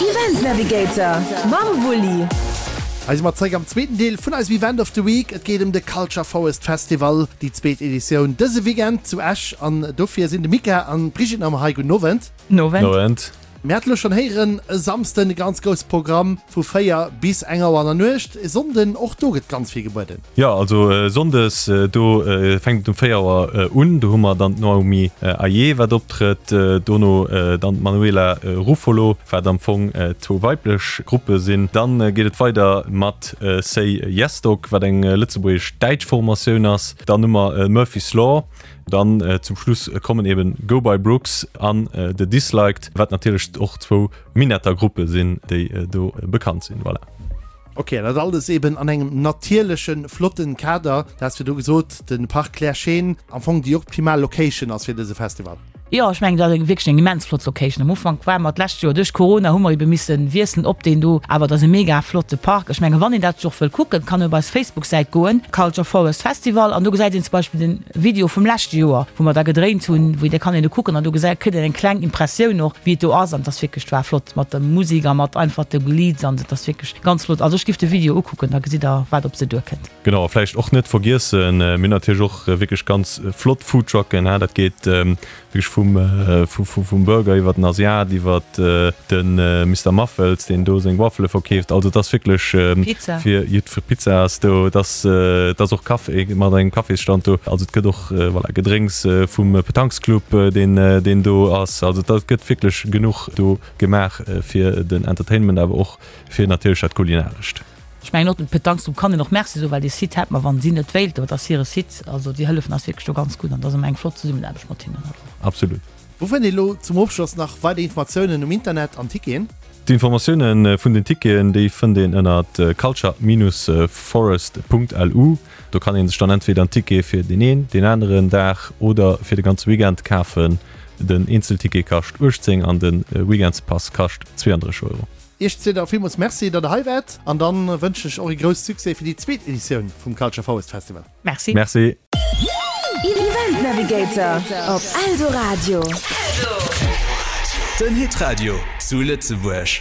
Event Navigator mam Wulli. Hei si mer zeréck am zweeten Deel vun eisem Event of the Week. Et geet ëm de Culture Forest Festival, déi zweet Editioun dëse Weekend zu Esch. An dofir sinn de Mika an d'Brigitte nach ëmmer hei. Gudden Owend. Owend. Mir hate lo schonn héieren, e Samsden e ganz grousse Programm vu 4 bis eng Auer an der Nuecht. E Sonnden, och do gëtt ganz vill gebueden. Jo, also Sonndes, do fänkt et um 4 Auer un. Do hu mer dann d'Naomi Ayé, wat optrëtt. Dono dann d'Manuela Ruffolo, wat am Fong zwou weiblech Gruppe sinn. Dann geet et weider mat Say Yes Dog, wat eng lëtzebuergesch-däitsch Formatioun ass. Dann hu mer Murphy's Law. Dann zum Schluss kommen eben Go By Brooks an The Disliked, wat natierlech och zwou Minetter Gruppe sinn, déi do bekannt sinn. Voilà. Ok, an dat alles eben an engem natierlechen, flotten Kader. Du has virdu gesot, de Parc Claire Schéen am Fong déi optimal Location ass fir dëse Festival. Jo, ech mengen, dat ass eng wierklech eng immens flott Location. Am Ufank ware mer d'lescht Joer, duerch Corona hu mer ebe misse wiesselen op deen do, awer et ass e mega flotte Park. Ech mengen, wann een dat sech och wëll kucken, kann een op eis Facebook-Säit goen, Culture Forest Festival, an do gesäit een zum Beispill den Video vum leschte Joer, wou mer da gedréint hunn, wou da kann een do kucken an do gesäit, kritt een eng kleng Impressioun och, wéi et do ass an et ass wierklech, et war flott mat der Musek a mat einfach de Leads an et ass wierklech ganz flott. Also ech giff de Video ukucken, da gesitt der, wat op se duerkënnt. Genau, a vläicht och net vergiessen, mir hunn natierlech och wierklech ganz flott Foodtrucken, dat geet wierklech vum, vum Burger iwwer den Asiat, iwwer de Mister Muffels, deen do seng Waffele verkeeft. Also et ass wierklech fir jiddwer, Pizza ass do, et ass, et ass och Café mat engem Cafésstand do. Also et gëtt och, voilà, Gedrénks vum Petanquesclub, deen, deen do ass. Also et gëtt wierklech genuch do gemaach fir den Entertainment, awer och fir natierlech dat Kulinarescht. Ech mengen och dem Petanque kann een och Merci soen, well dee Site hätt mer, wann si net wéilten, et ass hire Site, also déi hëllefen eis wierklech do ganz gutt an et ass ëmmer eng flott Zesummenaarbecht mat hinnen. Absolut. Wou fënnt een elo zum Ofschloss nach weider Informatiounen um Internet an Ticketen? D'Informatioune vun den Ticketen, déi fënnt een ënnert culture-forest.lu. Do kann ee sech dann entweder en Ticket fir deen een, deen aneren Dag oder fir de ganze Weekend kafen. Den Eenzelticket kascht 18 an de Weekendspass kascht 32 Euro. Iech zwee da villmools Merci, datt der hei waart an dann wënschen ech och ee grousse Succès fir déi zweet Editioun vum Culture Forest Festival. Merci. Merci. Event Navigator op Eldoradio. Den Hitradio zu Lëtzebuerg.